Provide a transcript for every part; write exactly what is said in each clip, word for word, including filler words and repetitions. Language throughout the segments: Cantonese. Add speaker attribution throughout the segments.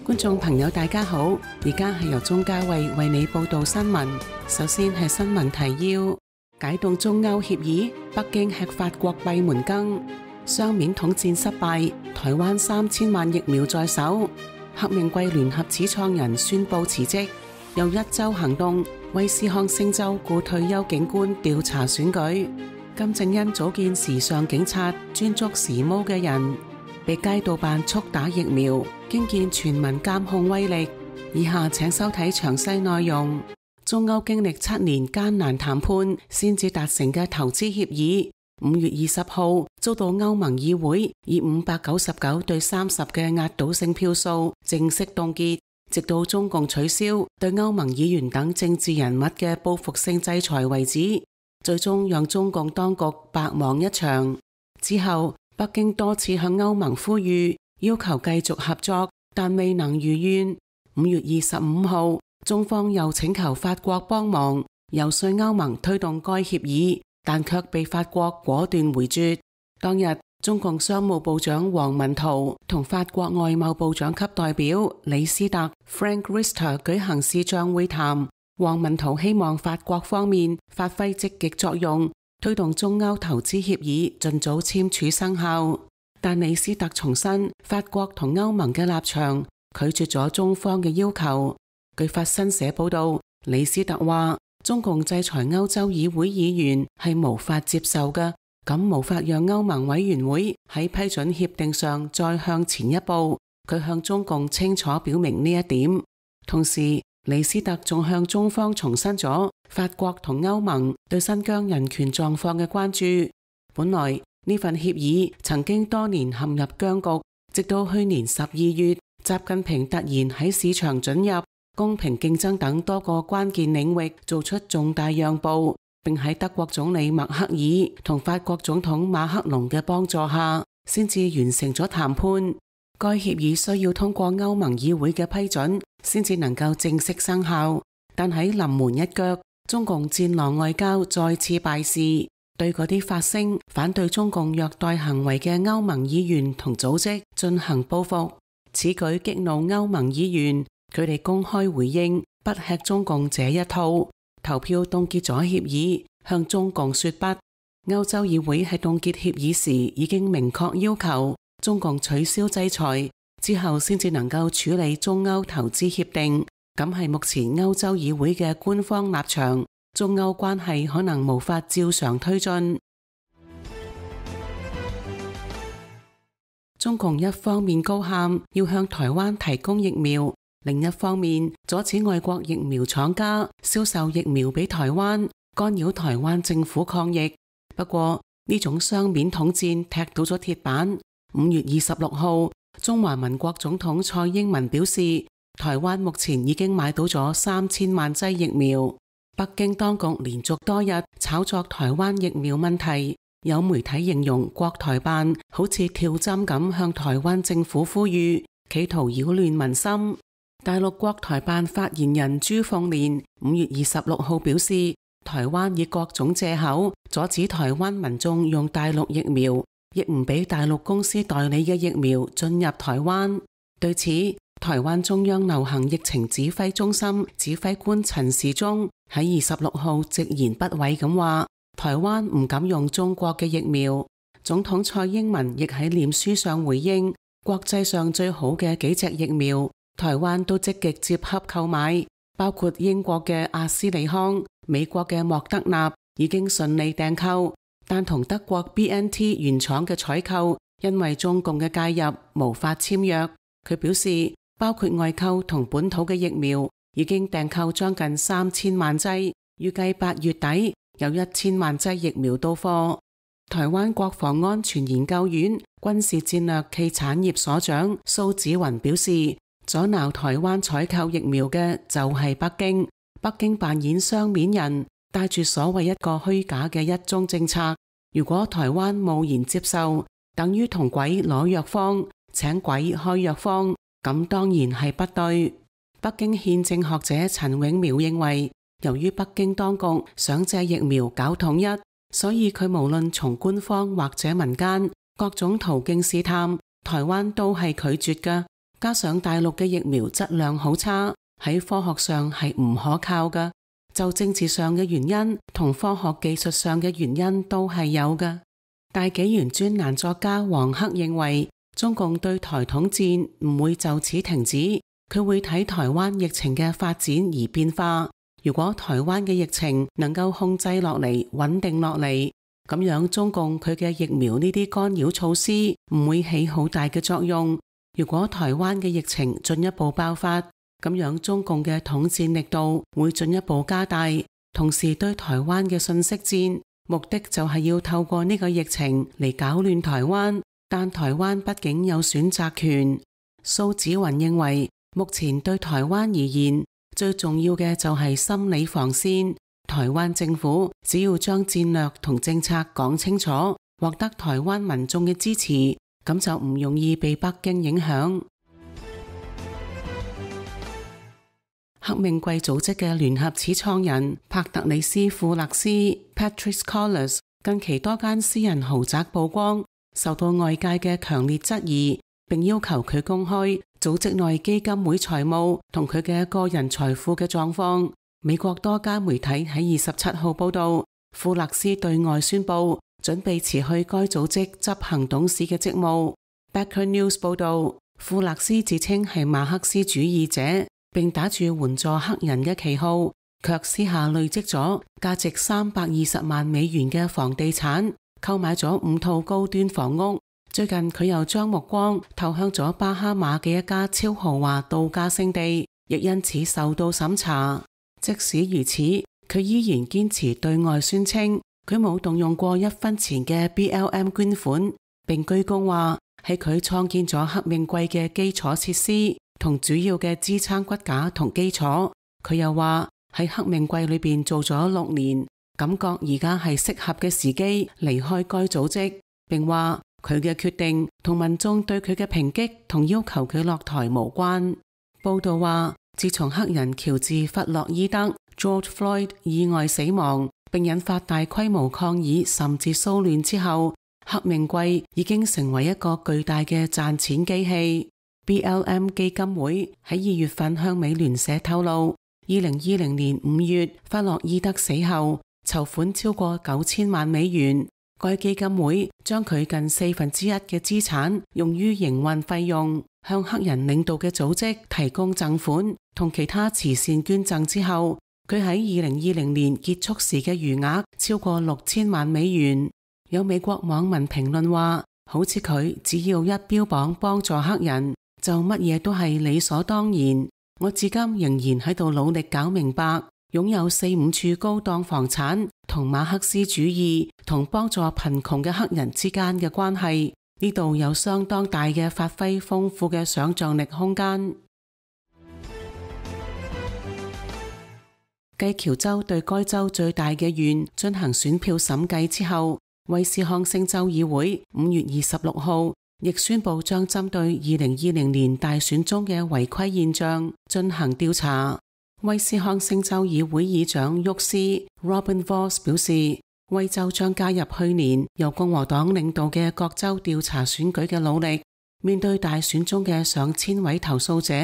Speaker 1: 觀眾朋友大家好，而家係由鍾嘉慧為你報道新聞。首先係新聞提要：解凍中歐協議，北京吃法國閉門羹；雙面統戰失敗，台灣三千萬疫苗在手；黑命貴聯合始創人宣布辭職；又一周行動，威斯康星州雇退休警官調查選舉；金正恩組建時尚警察，專捉時髦嘅人；被街道辦速打疫苗，驚見全民監控威力。以下請收睇詳細內容。中歐經歷七年艱難談判，先至達成嘅投資協議，五月二十號遭到歐盟議會以五百九十九對三十嘅壓倒性票數正式凍結，直到中共取消對歐盟議員等政治人物嘅報復性制裁為止，最終讓中共當局白忙一場。之後，北京多次向歐盟呼籲，要求繼續合作，但未能如願。五月二十五號，中方又請求法國幫忙游說歐盟推動該協議，但卻被法國果斷回絕。當日，中共商務部長王文濤同法國外貿部長級代表李斯特 Frank Riester 舉行視像會談。王文濤希望法國方面發揮積極作用，推動中歐投資協議盡早簽署生效。但李斯特重申法國同歐盟嘅立場，拒絕咗中方嘅要求。據法新社報道，李斯特話中共制裁歐洲議會議員係無法接受嘅，咁無法讓歐盟委員會喺批准協定上再向前一步。佢向中共清楚表明呢一點。同時，李斯特仲向中方重申咗法國同歐盟對新疆人權狀況嘅關注。本來呢份協議曾經多年陷入僵局，直到去年十二月，習近平突然喺市場准入、公平競爭等多個關鍵領域做出重大讓步，並喺德國總理默克爾同法國總統馬克龍嘅幫助下，先至完成咗談判。該協議需要通過歐盟議會嘅批准，先至能夠正式生效。但喺臨門一腳，中共戰狼外交再次敗示，對嗰啲發聲反對中共虐待行為嘅歐盟議員同組織進行報復。此舉激怒歐盟議員，佢哋公開回應不吃中共這一套，投票凍結咗協議，向中共說不。歐洲議會喺凍結協議時已經明確要求中共取消制裁，之後先至能夠處理中歐投資協定。咁係目前歐洲議會嘅官方立場，中歐關係可能無法照常推進。中共一方面高喊要向台灣提供疫苗，另一方面阻止外國疫苗廠家銷售疫苗俾台灣，干擾台灣政府抗疫。不過呢種雙面統戰踢到咗鐵板。五月二十六號，中華民國總統蔡英文表示，台灣目前已經買到咗三千萬劑疫苗。北京當局連續多日炒作台灣疫苗問題。有媒體形容國台辦好似跳針咁向台灣政府呼籲，企圖擾亂民心。大陸國台辦發言人朱鳳蓮五月二十六號表示，台灣以各種借口阻止台灣民眾用大陸疫苗，亦唔俾大陸公司代理嘅疫苗進入台灣。對此，台灣中央流行疫情指揮中心指揮官陳時中喺二十六號直言不諱咁話，台灣唔敢用中國嘅疫苗。總統蔡英文亦喺臉書上回應，國際上最好嘅幾隻疫苗，台灣都積極接洽購買，包括英國嘅阿斯利康、美國嘅莫德納已經順利訂購，但同德國 B N T 原廠嘅採購因為中共嘅介入無法簽約。佢表示，包括外購同本土嘅疫苗已經訂購將近三千萬劑，預計八月底有一千萬劑疫苗到貨。台灣國防安全研究院軍事戰略暨產業所長蘇紫雲表示，阻撓台灣採購疫苗嘅就係北京，北京扮演雙面人，帶住所謂一個虛假嘅一中政策。如果台灣貿然接受，等於同鬼攞藥方，請鬼開藥方，咁當然係不對。北京憲政學者陳永苗認為，由於北京當局想借疫苗搞統一，所以佢無論從官方或者民間各種途徑試探，台灣都係拒絕㗎。加上大陸嘅疫苗質量好差，喺科學上係唔可靠㗎。就政治上嘅原因同科學技術上嘅原因都係有㗎。大紀元專欄作家黃克認為，中共對台統戰唔會就此停止，佢會睇台灣疫情嘅發展而變化。如果台灣嘅疫情能夠控制落嚟、穩定落嚟，咁樣中共佢嘅疫苗呢啲干擾措施唔會起好大嘅作用。如果台灣嘅疫情進一步爆發，咁樣中共嘅統戰力度會進一步加大，同時對台灣嘅信息戰，目的就係要透過呢個疫情嚟搞亂台灣。但台灣畢竟有選擇權。蘇紫雲認為，目前對台灣而言，最重要嘅就係心理防線。台灣政府只要將戰略同政策講清楚，獲得台灣民眾嘅支持，咁就唔容易被北京影響。黑命貴組織嘅聯合始創人帕特里斯庫勒斯 Patrisse Cullors 近期多間私人豪宅曝光，受到外界嘅強烈質疑，並要求佢公開組織內基金會財務同佢嘅個人財富嘅狀況。美國多家媒體喺二十七號報道，庫勒斯對外宣布準備辭去該組織執行董事嘅職務。Backer News 報道，庫勒斯自稱係馬克思主義者，並打住援助黑人嘅旗號，卻私下累積咗價值三百二十萬美元嘅房地產，購買咗五套高端房屋。最近佢又將目光投向咗巴哈馬嘅一家超豪華度假勝地，亦因此受到審查。即使如此，佢依然堅持對外宣稱佢冇動用過一分錢嘅 B L M 捐款，並居功話係佢創建咗黑命貴嘅基礎設施同主要嘅支撐骨架同基礎。佢又話喺黑命貴裏邊做咗六年，感覺而家係適合嘅時機離開該組織，並話佢嘅決定同民眾對佢嘅抨擊同要求佢落台無關。報道話，自從黑人喬治弗洛伊德 George Floyd 意外死亡並引發大規模抗議甚至騷亂之後，黑命貴已經成為一個巨大嘅賺錢機器。B L M 基金會喺二月份向美聯社透露，二零二零年五月弗洛伊德死後籌款超過九千萬美元。該基金會將佢近四分之一嘅資產用於營運費用，向黑人領導嘅組織提供贈款同其他慈善捐贈之後，佢喺二零二零年結束時嘅餘額超過六千萬美元。有美國網民評論話，好似佢只要一標榜幫助黑人，就乜嘢都係理所當然。我至今仍然喺度努力搞明白，擁有四五處高檔房產同馬克思主義同幫助貧窮嘅黑人之間嘅關係，呢度有相當大嘅發揮豐富嘅想象力空間。繼喬州對該州最大嘅縣進行選票審計之後，威斯康星州議會五月二十六號亦宣布將針對二零二零年大選中嘅違規現象進行調查。威斯康星州議會議長沃斯 Robin Vos 表示，威州將加入去年由共和黨領導嘅各州調查選舉嘅努力。面對大選中嘅上千位投訴者，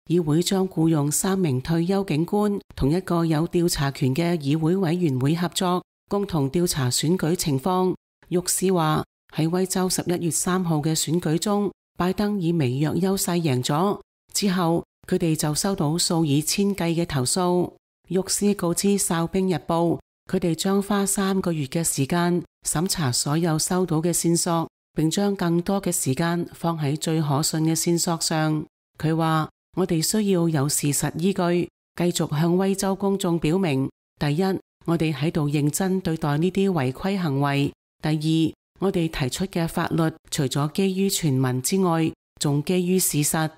Speaker 1: 議會將僱用三名退休警官同一個有調查權嘅議會委員會合作，共同調查選舉情況。沃斯話喺威州十一月三號嘅選舉中，拜登以微弱優勢贏咗之後，佢哋就收到數以千計嘅投訴。沃斯告知哨兵日報，佢哋將花三個月嘅時間審查所有收到嘅線索，並將更多嘅時間放喺最可信嘅線索上。佢話，我哋需要有事實依據，繼續向威州公眾表明，第一，我哋喺度認真對待呢啲違規行為；第二，我哋提出嘅法律除咗基於傳聞之外，仲基於事實。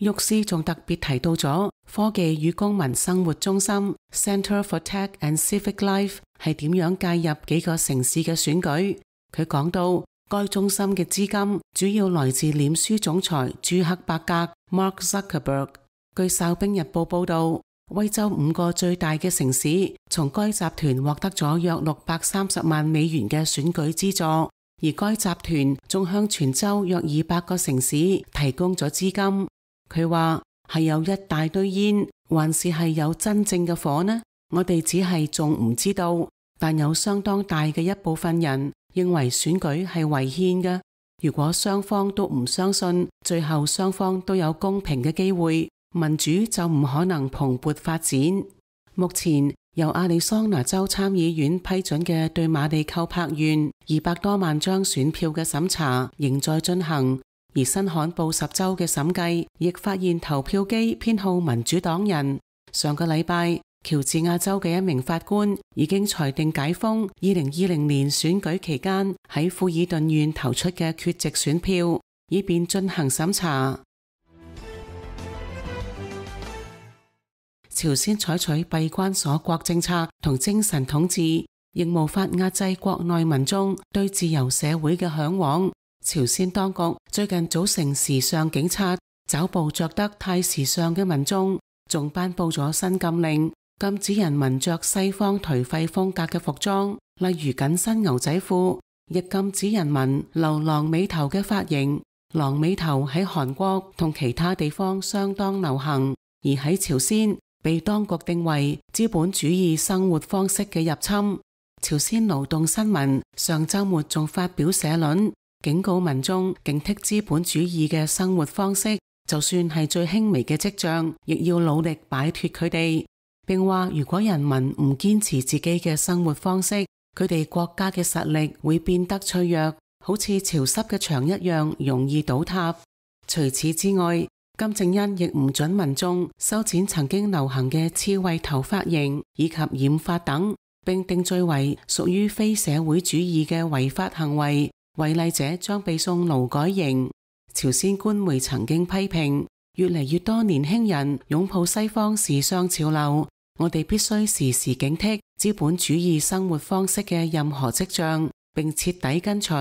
Speaker 1: 沃斯仲特別提到咗科技與公民生活中心 Center for Tech and Civic Life 係點樣介入幾個城市嘅選舉。佢講到，該中心嘅資金主要來自臉書總裁朱克伯格 Mark Zuckerberg。據哨兵日報報道，威州五個最大嘅城市從該集團獲得咗約六百三十萬美元嘅選舉資助，而該集團仲向全州約二百個城市提供咗資金。佢話係有一大堆煙，還是係有真正嘅火呢？我哋只係仲唔知道，但有相當大嘅一部分人認為選舉係違憲嘅。如果雙方都唔相信，最後雙方都有公平嘅機會，民主就唔可能蓬勃發展。目前由亞利桑那州參議院批准嘅對馬里寇柏縣二百多萬張選票嘅審查仍在進行，而新罕布什州嘅審計亦發現投票機偏好民主黨人。上個禮拜，喬治亞州嘅一名法官已經裁定解封二零二零年選舉期間喺富爾頓縣投出嘅缺席選票，以便進行審查。朝鮮採取閉關鎖國政策同精神統治，亦無法壓制國內民眾對自由社會嘅向往。朝鮮當局最近組成時尚警察，抓捕着得太時尚嘅民眾，仲頒布咗新禁令，禁止人民着西方頹廢風格嘅服裝，例如緊身牛仔褲，亦禁止人民留狼尾頭嘅髮型。狼尾頭喺韓國同其他地方相當流行，而喺朝鮮被當局定為資本主義生活方式嘅入侵。朝鮮勞動新聞上週末仲發表社論，警告民眾警惕資本主義嘅生活方式，就算係最輕微嘅跡象，亦要努力擺脫佢哋。並話如果人民唔堅持自己嘅生活方式，佢哋國家嘅實力會變得脆弱，好似潮濕嘅牆一樣容易倒塌。除此之外，金正恩亦唔准民眾修剪曾經流行嘅刺蝟頭髮型以及染髮等，並定罪為屬於非社會主義嘅違法行為，違例者將被送勞改營。朝鮮官媒曾經批評，越嚟越多年輕人擁抱西方時尚潮流，我哋必須時時警惕資本主義生活方式嘅任何跡象，並徹底根除。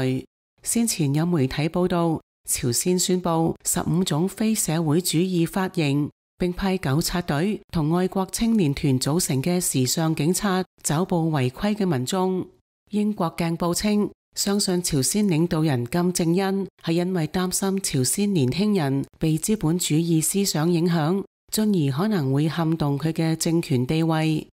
Speaker 1: 先前有媒體報道，朝鮮宣布十五種非社會主義髮型，並派糾察隊同愛國青年團組成嘅時尚警察抓捕違規嘅民眾。英國鏡報稱，相信朝鮮領導人金正恩係因為擔心朝鮮年輕人被資本主義思想影響，進而可能會撼動佢嘅政權地位。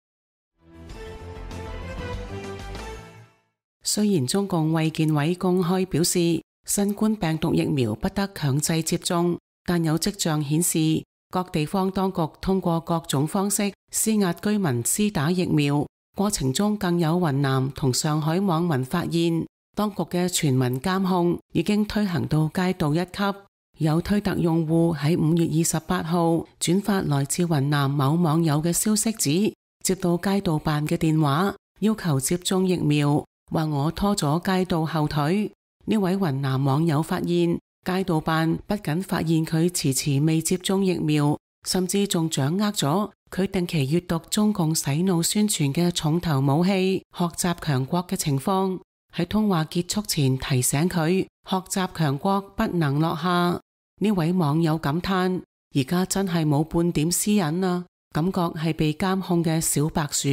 Speaker 1: 雖然中共衛健委公開表示新冠病毒疫苗不得強制接種，但有跡象顯示各地方當局通過各種方式施壓居民施打疫苗。過程中更有雲南同上海網民發現，當局嘅全民監控已經推行到街道一級。有推特用戶喺五月二十八號轉發來自雲南某網友嘅消息指，接到街道辦嘅電話，要求接種疫苗，話我拖咗街道後腿。呢位雲南網友發現，街道辦不僅發現佢遲遲未接種疫苗，甚至仲掌握咗佢定期閱讀中共洗腦宣傳嘅重頭武器學習強國嘅情況，喺通話結束前提醒佢學習強國不能落下。呢位網友感嘆，而家真係冇半點私隱啊，感覺係被監控嘅小白鼠，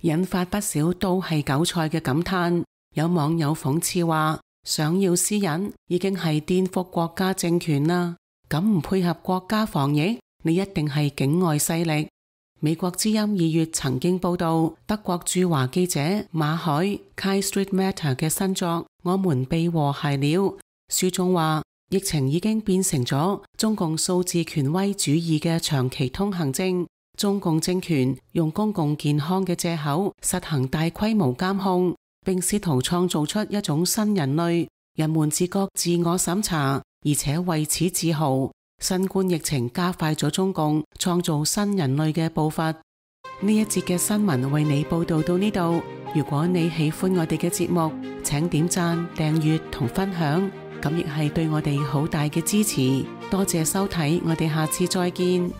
Speaker 1: 引發不少都係韭菜嘅感嘆。有網友諷刺話，想要私隱已經係顛覆國家政權啦，咁唔配合國家防疫，你一定係境外勢力。美國之音二月曾經報道，德國駐華記者馬海 Kai Street Matter 嘅新作《我們被和諧了》，書中話疫情已經變成咗中共數字權威主義嘅長期通行證，中共政權用公共健康嘅借口實行大規模監控，並試圖創造出一種新人類，人們自覺自我審查，而且為此自豪。新冠疫情加快咗中共創造新人類嘅步伐。呢一節嘅新聞為你報道到呢度。如果你喜歡我哋嘅節目，請點讚、訂閱同分享，咁亦係對我哋好大嘅支持。多謝收睇，我哋下次再見。